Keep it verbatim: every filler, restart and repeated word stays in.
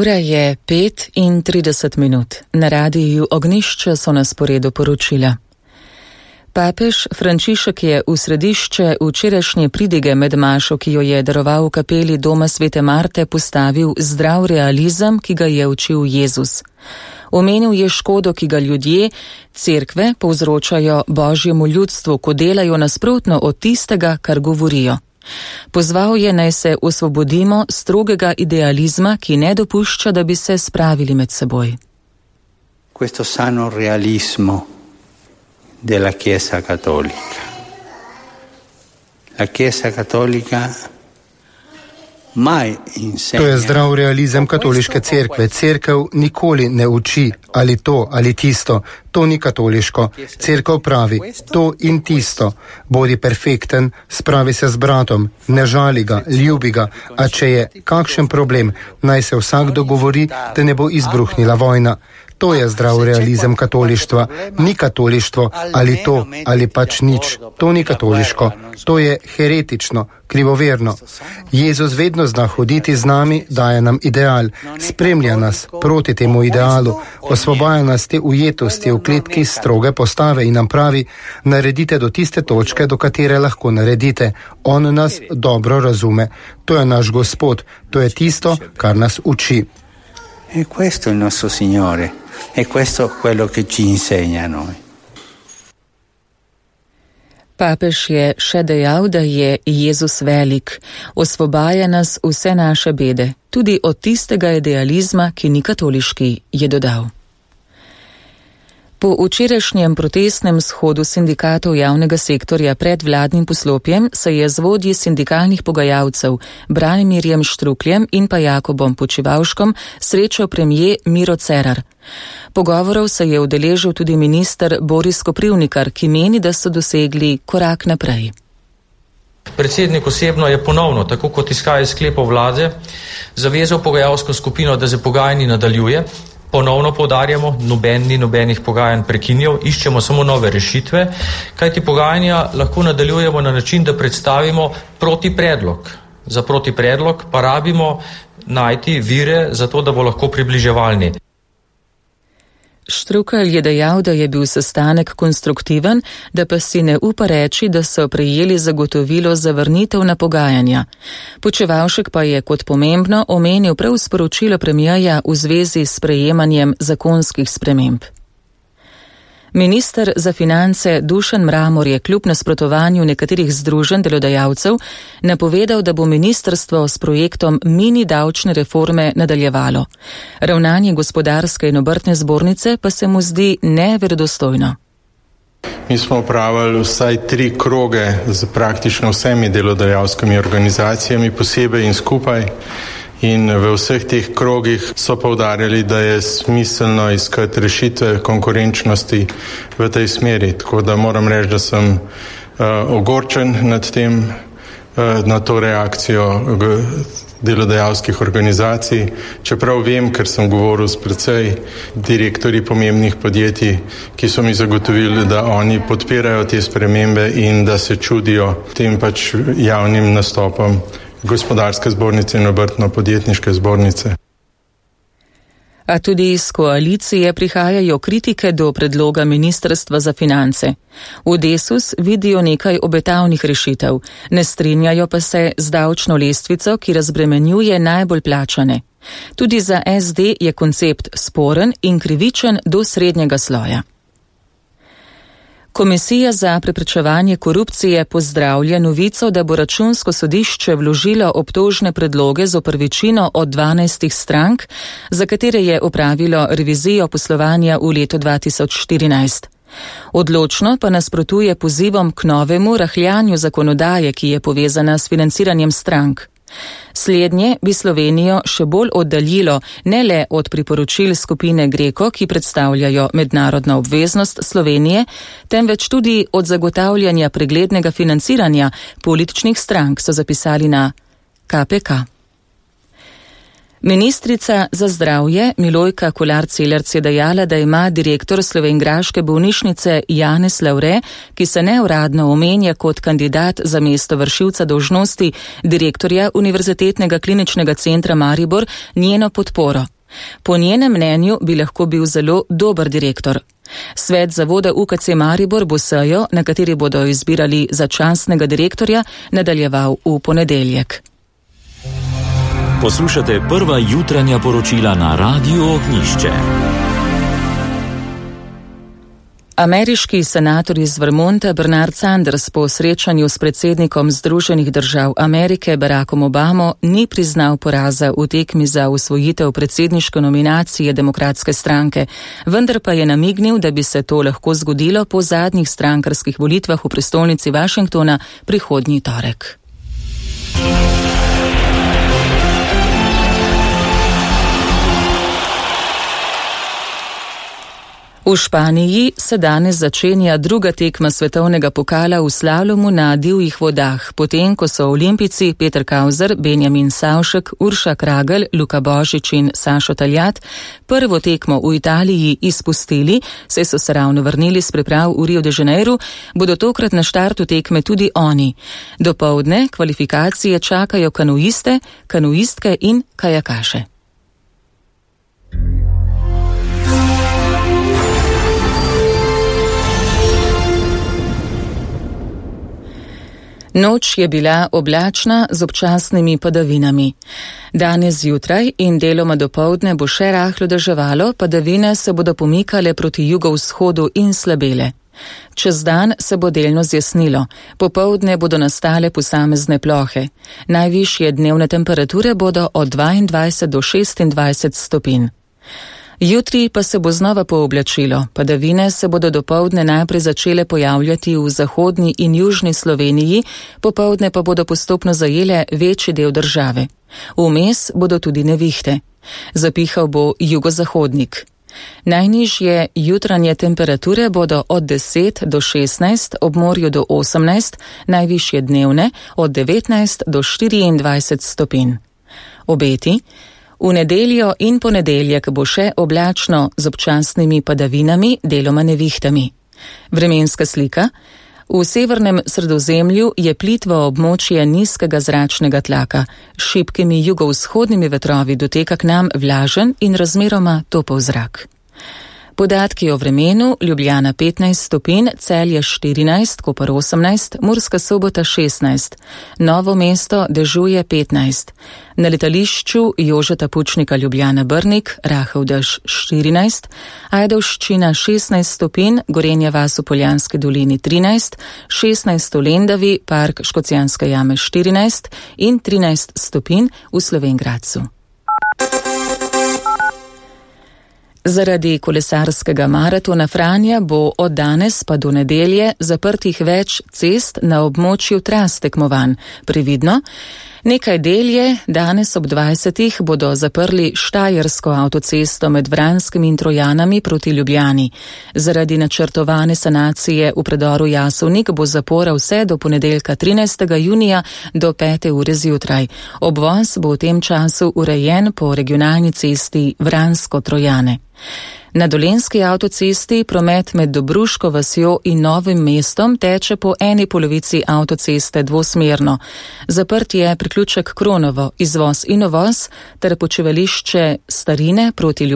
Ura je pet in trideset minut. Na radiju Ognjišče so na sporedu poročila. Papež Frančišek je v središče včerajšnje pridige med mašo, ki jo je daroval v kapeli Doma Svete Marte, postavil zdrav realizem, ki ga je učil Jezus. Omenil je škodo, ki ga ljudje, cerkve, povzročajo Božjemu ljudstvu, ko delajo nasprotno od tistega, kar govorijo. Pozval je, naj se osvobodimo strogega idealizma, ki ne dopušča, da bi se spravili med seboj. Questo sano realismo della Chiesa Cattolica. La Chiesa Cattolica mai insegna. To je zdrav realizem katoliške cerkve. Cerkev nikoli ne uči ali to ali tisto. To ni katoliško. Cerkev pravi to in tisto. Bodi perfekten, spravi se z bratom, ne žali ga, ljubi ga, a če je kakšen problem, naj se vsak dogovori, da ne bo izbruhnila vojna. To je zdrav realizem katolištva. Ni katolištvo ali to ali pač nič. To ni katoliško. To je heretično, krivoverno. Jezus vedno zna hoditi z nami, daje nam ideal, spremlja nas proti temu idealu, osvobaja nas te ujetosti v kletki stroge postave in nam pravi, naredite do tiste točke, do katere lahko naredite. On nas dobro razume. To je naš Gospod. To je tisto, kar nas uči. E questo è il nostro Signore. E questo è quello che ci insegna a noi. Papež je še dejal, da je Jezus velik, osvobaja nas vse naše bede, tudi od tistega idealizma, ki ni katoliški, je dodal. Po včerajšnjem protestnem shodu sindikatov javnega sektorja pred vladnim poslopjem se je z vodji sindikalnih pogajalcev Branimirjem Štrukljem in pa Jakobom Počivavškom srečal premijer Miro Cerar. Pogovorov se je udeležil tudi minister Boris Koprivnikar, ki meni, da so dosegli korak naprej. Predsednik osebno je ponovno, tako kot izhaja iz sklepov vlade, zavezal pogajalsko skupino, da se pogajanji nadaljuje. Ponovno poudarjamo, noben ni nobenih pogajanj prekinil, iščemo samo nove rešitve, kajti pogajanja lahko nadaljujemo na način, da predstavimo protipredlog. Za protipredlog pa rabimo najti vire za to, da bo lahko približevalni. Štrukelj je dejal, da je bil sestanek konstruktiven, da pa si ne upa reči, da so prejeli zagotovilo za vrnitev na pogajanja. Počivavšek pa je kot pomembno omenil prav sporočilo premijerja v zvezi s sprejemanjem zakonskih sprememb. Minister za finance Dušan Mramor je kljub nasprotovanju nekaterih združenj delodajalcev napovedal, da bo ministrstvo s projektom mini davčne reforme nadaljevalo. Ravnanje gospodarske in obrtne zbornice pa se mu zdi neverodostojno. Mi smo upravili vsaj tri kroge z praktično vsemi delodajalskimi organizacijami, posebej in skupaj. In v vseh teh krogih so poudarjali, da je smiselno iskati rešitve konkurenčnosti v tej smeri. Tako da moram reči, da sem uh, ogorčen nad tem, uh, na to reakcijo delodajalskih organizacij. Čeprav vem, ker sem govoril s precej direktorji pomembnih podjetij, ki so mi zagotovili, da oni podpirajo te spremembe in da se čudijo tem pač javnim nastopom gospodarske zbornice in obrtno-podjetniške zbornice. A tudi iz koalicije prihajajo kritike do predloga Ministrstva za finance. V Desus vidijo nekaj obetavnih rešitev, ne strinjajo pa se z davčno lestvico, ki razbremenjuje najbolj plačane. Tudi za es de je koncept sporen in krivičen do srednjega sloja. Komisija za preprečevanje korupcije pozdravlja novico, da bo Računsko sodišče vložilo obtožne predloge zoper večino od dvanajstih strank, za katere je opravilo revizijo poslovanja v letu dva tisoč štirinajst. Odločno pa nasprotuje pozivom k novemu rahljanju zakonodaje, ki je povezana s financiranjem strank. Slednje bi Slovenijo še bolj oddaljilo ne le od priporočil skupine Greko, ki predstavljajo mednarodno obveznost Slovenije, temveč tudi od zagotavljanja preglednega financiranja političnih strank, so zapisali na ka pe ka. Ministrica za zdravje Milojka Kolar-Celarc je dejala, da ima direktor slovenjgraške bolnišnice Janez Lavre, ki se neuradno omenja kot kandidat za mesto vršilca dolžnosti direktorja Univerzitetnega kliničnega centra Maribor, njeno podporo. Po njenem mnenju bi lahko bil zelo dober direktor. Svet zavoda U K C Maribor bo sejo, na kateri bodo izbirali začasnega direktorja, nadaljeval v ponedeljek. Poslušate prva jutranja poročila na Radiu Ognjišče. Ameriški senator iz Vermonta Bernard Sanders po srečanju s predsednikom Združenih držav Amerike Barackom Obamo ni priznal poraza v tekmi za osvojitev predsedniške nominacije demokratske stranke, vendar pa je namignil, da bi se to lahko zgodilo po zadnjih strankarskih volitvah v prestolnici Washingtona prihodnji torek. V Španiji se danes začenja druga tekma svetovnega pokala v slalomu na divjih vodah, potem ko so olimpijci Peter Kauzer, Benjamin Savšek, Urša Kragel, Luka Božič in Sašo Taljat prvo tekmo v Italiji izpustili, saj so se ravno vrnili s priprav v Rio de Janeiro, bodo tokrat na štartu tekme tudi oni. Dopoldne kvalifikacije čakajo kanuiste, kanuistke in kajakaše. Noč je bila oblačna z občasnimi padavinami. Danes zjutraj in deloma dopoldne bo še rahlo deževalo, padavine se bodo pomikale proti jugovzhodu in slabele. Čez dan se bo delno zjasnilo, popoldne bodo nastale posamezne plohe. Najvišje dnevne temperature bodo od dvaindvajset do šestindvajset stopinj. Jutri pa se bo znova pooblačilo. Padavine se bodo dopoldne najprej začele pojavljati v zahodni in južni Sloveniji, popoldne pa bodo postopno zajele večji del države. Vmes bodo tudi nevihte. Zapihal bo jugozahodnik. Najnižje jutranje temperature bodo od deset do šestnajst, ob morju do osemnajst, najvišje dnevne od devetnajst do štiriindvajset stopinj. Obeti. V nedeljo in ponedeljek bo še oblačno z občasnimi padavinami, deloma nevihtami. Vremenska slika. V severnem Sredozemlju je plitvo območje nizkega zračnega tlaka. S šibkimi jugovzhodnimi vetrovi doteka k nam vlažen in razmeroma topel zrak. Podatki o vremenu: Ljubljana petnajst stopinj, Celje štirinajst, Koper osemnajst, Murska Sobota šestnajst, Novo mesto dežuje petnajst. Na letališču Jožeta Pučnika Ljubljana Brnik rahel dež štirinajst, Ajdovščina šestnajst stopinj, Gorenja vas v Poljanski dolini trinajst, šestnajst v Lendavi, Park Škocjanske jame štirinajst in trinajst stopinj v Slovenj Gradcu. Zaradi kolesarskega maratona Franja bo od danes pa do nedelje zaprtih več cest na območju tras tekmovanj. Previdno, nekaj del je, danes ob dvajsetih bodo zaprli Štajersko avtocesto med Vranskim in Trojanami proti Ljubljani. Zaradi načrtovane sanacije v predoru Jasovnik bo zapora vse do ponedeljka trinajstega junija do pete ure zjutraj. Obvoz bo v tem času urejen po regionalni cesti Vransko-Trojane. Na Dolenjski avtocesti promet med Dobruško vasjo in Novim mestom teče po eni polovici avtoceste dvosmerno. Zaprt je priključek Kronovo, izvoz in uvoz ter počivališče Starine proti Ljubljani.